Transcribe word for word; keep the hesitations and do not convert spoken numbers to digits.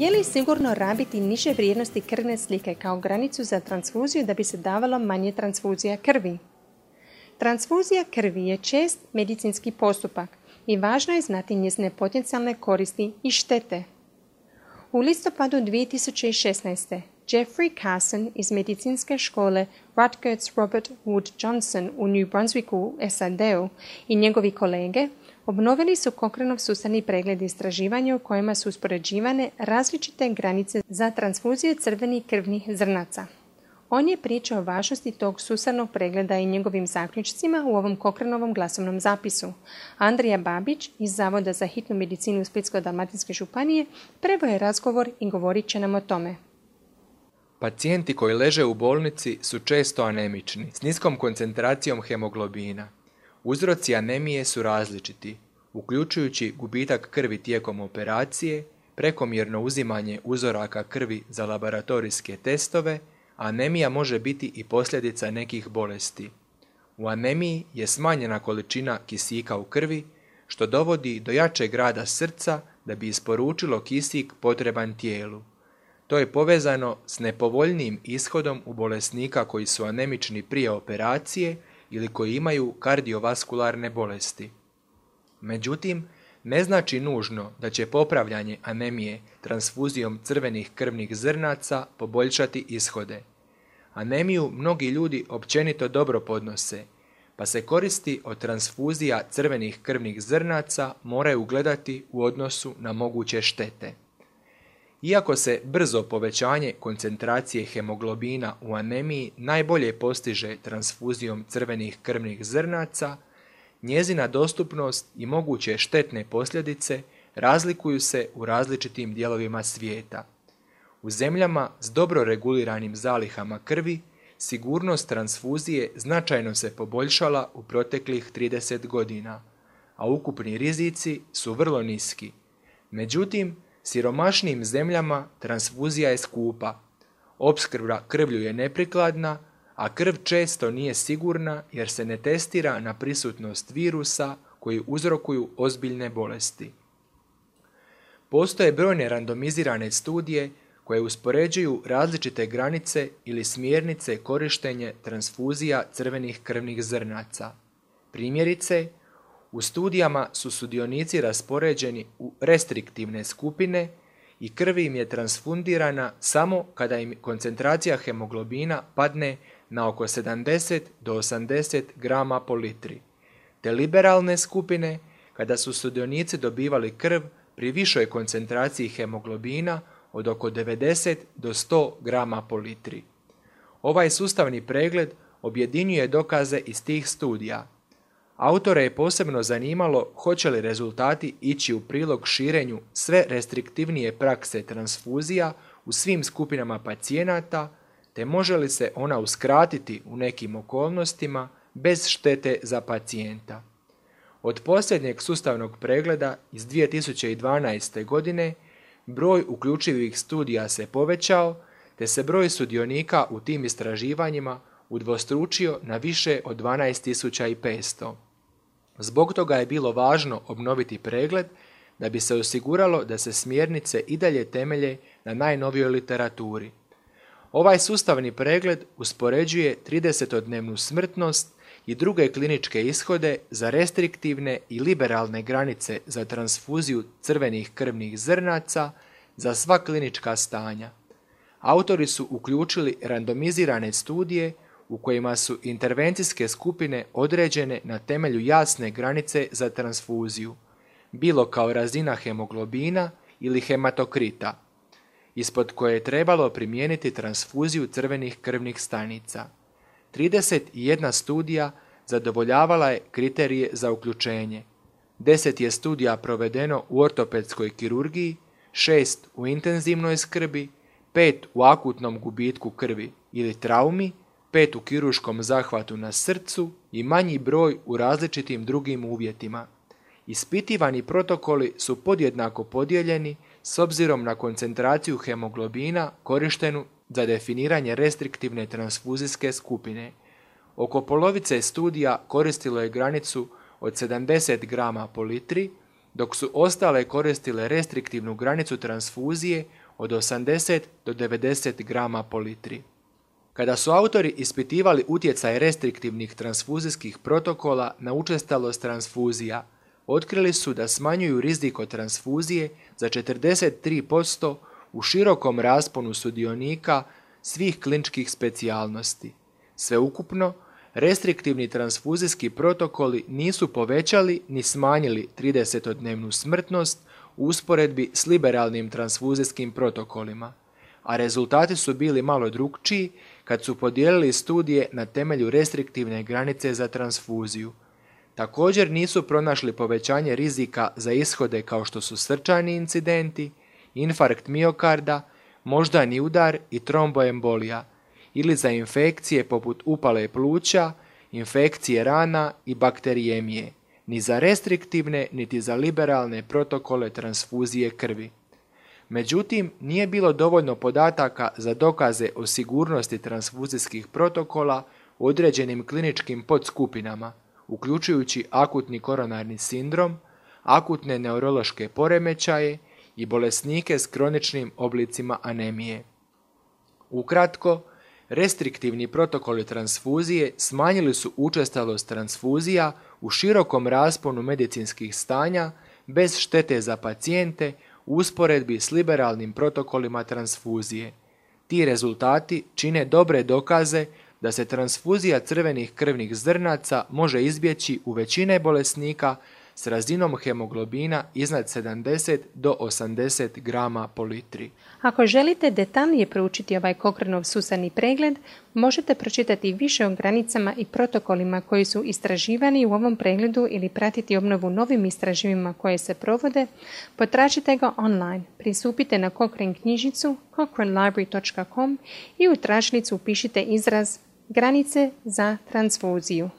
Je li sigurno rabiti niže vrijednosti krvne slike kao granicu za transfuziju da bi se davalo manje transfuzija krvi? Transfuzija krvi je čest medicinski postupak i važno je znati njezine potencijalne koristi i štete. U listopadu dvije tisuće šesnaeste. Jeffrey Carson iz medicinske škole Rutgers Robert Wood Johnson u New Brunswicku u S A D-u i njegovi kolege obnovili su Cochraneov sustavni pregled istraživanja u kojima su uspoređivane različite granice za transfuziju crvenih krvnih zrnaca. On je pričao o važnosti tog sustavnog pregleda i njegovim zaključcima u ovom Cochraneovom glasovnom zapisu. Andrija Babić iz Zavoda za hitnu medicinu Splitsko-dalmatinske županije preveo je razgovor i govorit će nam o tome. Pacijenti koji leže u bolnici su često anemični, s niskom koncentracijom hemoglobina. Uzroci anemije su različiti, uključujući gubitak krvi tijekom operacije, prekomjerno uzimanje uzoraka krvi za laboratorijske testove, a anemija može biti i posljedica nekih bolesti. U anemiji je smanjena količina kisika u krvi, što dovodi do jačeg rada srca da bi isporučilo kisik potreban tijelu. To je povezano s nepovoljnijim ishodom u bolesnika koji su anemični prije operacije ili koji imaju kardiovaskularne bolesti. Međutim, ne znači nužno da će popravljanje anemije transfuzijom crvenih krvnih zrnaca poboljšati ishode. Anemiju mnogi ljudi općenito dobro podnose, pa se koristi od transfuzija crvenih krvnih zrnaca moraju gledati u odnosu na moguće štete. Iako se brzo povećanje koncentracije hemoglobina u anemiji najbolje postiže transfuzijom crvenih krvnih zrnaca, njezina dostupnost i moguće štetne posljedice razlikuju se u različitim dijelovima svijeta. U zemljama s dobro reguliranim zalihama krvi, sigurnost transfuzije značajno se poboljšala u proteklih trideset godina, a ukupni rizici su vrlo niski. Međutim, siromašnijim zemljama transfuzija je skupa, opskrba krvlju je neprikladna, a krv često nije sigurna jer se ne testira na prisutnost virusa koji uzrokuju ozbiljne bolesti. Postoje brojne randomizirane studije koje uspoređuju različite granice ili smjernice korištenja transfuzija crvenih krvnih zrnaca. Primjerice, u studijama su sudionici raspoređeni u restriktivne skupine i krv im je transfundirana samo kada im koncentracija hemoglobina padne na oko sedamdeset do osamdeset grama po litri, te liberalne skupine kada su sudionici dobivali krv pri višoj koncentraciji hemoglobina od oko devedeset do sto grama po litri. Ovaj sustavni pregled objedinjuje dokaze iz tih studija. Autore je posebno zanimalo hoće li rezultati ići u prilog širenju sve restriktivnije prakse transfuzija u svim skupinama pacijenata, te može li se ona uskratiti u nekim okolnostima bez štete za pacijenta. Od posljednjeg sustavnog pregleda iz dvije tisuće dvanaeste. godine broj uključivih studija se povećao, te se broj sudionika u tim istraživanjima udvostručio na više od dvanaest tisuća petsto. Zbog toga je bilo važno obnoviti pregled da bi se osiguralo da se smjernice i dalje temelje na najnovijoj literaturi. Ovaj sustavni pregled uspoređuje tridesetodnevnu smrtnost i druge kliničke ishode za restriktivne i liberalne granice za transfuziju crvenih krvnih zrnaca za sva klinička stanja. Autori su uključili randomizirane studije u kojima su intervencijske skupine određene na temelju jasne granice za transfuziju, bilo kao razina hemoglobina ili hematokrita, ispod koje je trebalo primijeniti transfuziju crvenih krvnih stanica. trideset jedna studija zadovoljavala je kriterije za uključenje. deset je studija provedeno u ortopedskoj kirurgiji, šest u intenzivnoj skrbi, pet u akutnom gubitku krvi ili traumi, pet u kirurškom zahvatu na srcu i manji broj u različitim drugim uvjetima. Ispitivani protokoli su podjednako podijeljeni s obzirom na koncentraciju hemoglobina korištenu za definiranje restriktivne transfuzijske skupine. Oko polovice studija koristilo je granicu od sedamdeset grama po litri, dok su ostale koristile restriktivnu granicu transfuzije od osamdeset do devedeset grama po litri. Kada su autori ispitivali utjecaj restriktivnih transfuzijskih protokola na učestalost transfuzija, otkrili su da smanjuju rizik od transfuzije za četrdeset tri posto u širokom rasponu sudionika svih kliničkih specijalnosti. Sveukupno, restriktivni transfuzijski protokoli nisu povećali ni smanjili tridesetodnevnu smrtnost u usporedbi s liberalnim transfuzijskim protokolima, a rezultati su bili malo drukčiji kad su podijelili studije na temelju restriktivne granice za transfuziju. Također nisu pronašli povećanje rizika za ishode kao što su srčani incidenti, infarkt miokarda, moždani udar i tromboembolija, ili za infekcije poput upale pluća, infekcije rana i bakterijemije, ni za restriktivne niti za liberalne protokole transfuzije krvi. Međutim, nije bilo dovoljno podataka za dokaze o sigurnosti transfuzijskih protokola u određenim kliničkim podskupinama, uključujući akutni koronarni sindrom, akutne neurološke poremećaje i bolesnike s kroničnim oblicima anemije. Ukratko, restriktivni protokoli transfuzije smanjili su učestalost transfuzija u širokom rasponu medicinskih stanja bez štete za pacijente u usporedbi s liberalnim protokolima transfuzije. Ti rezultati čine dobre dokaze da se transfuzija crvenih krvnih zrnaca može izbjeći u većine bolesnika s razinom hemoglobina iznad sedamdeset do osamdeset grama po litri. Ako želite detaljnije proučiti ovaj Cochranov sustavni pregled, možete pročitati više o granicama i protokolima koji su istraživani u ovom pregledu ili pratiti obnovu novim istraživanjima koje se provode. Potražite ga online, pristupite na Cochrane knjižnicu cochrane library dot com i u tražilicu upišite izraz granice za transfuziju.